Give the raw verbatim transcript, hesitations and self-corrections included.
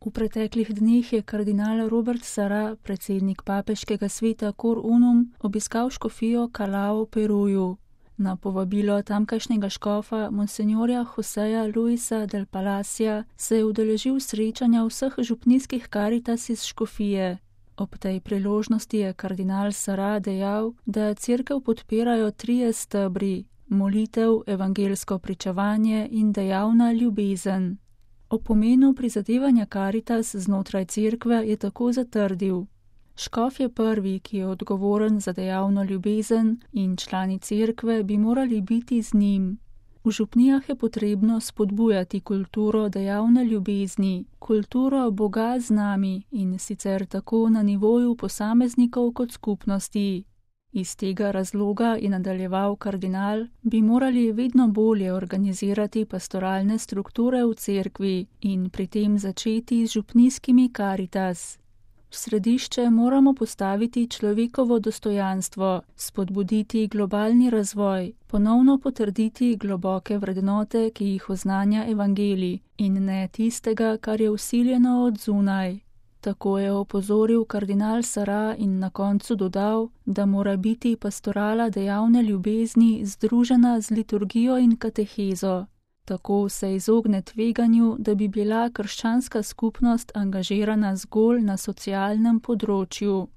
V preteklih dneh je kardinal Robert Sarah, predsednik papeškega sveta Cor Unum, obiskal škofijo Callao v Peruju. Na povabilo tamkajšnjega škofa monsenjorja Joseja Luisa del Palacia se je udeležil srečanja vseh župnijskih Caritas iz škofije. Ob tej priložnosti je kardinal Sarah dejal, da cerkev podpirajo trije stebri: molitev, evangelsko pričevanje in dejavna ljubezen. O pomenu prizadevanja Caritas znotraj cerkve je tako zatrdil: škof je prvi, ki je odgovoren za dejavno ljubezen, in člani cerkve bi morali biti z njim. V župnijah je potrebno spodbujati kulturo dejavne ljubezni, kulturo Boga z nami, in sicer tako na nivoju posameznikov kot skupnosti. Iz tega razloga, je nadaljeval kardinal, bi morali vedno bolje organizirati pastoralne strukture v cerkvi in pri tem začeti z župnijskimi Caritas. V središče moramo postaviti človekovo dostojanstvo, spodbuditi globalni razvoj, ponovno potrditi globoke vrednote, ki jih oznanja evangelij, in ne tistega, kar je vsiljeno od zunaj. Tako je opozoril kardinal Sarah in na koncu dodal, da mora biti pastorala dejavne ljubezni združena z liturgijo in katehezo. Tako se izogne tveganju, da bi bila krščanska skupnost angažirana zgolj na socialnem področju.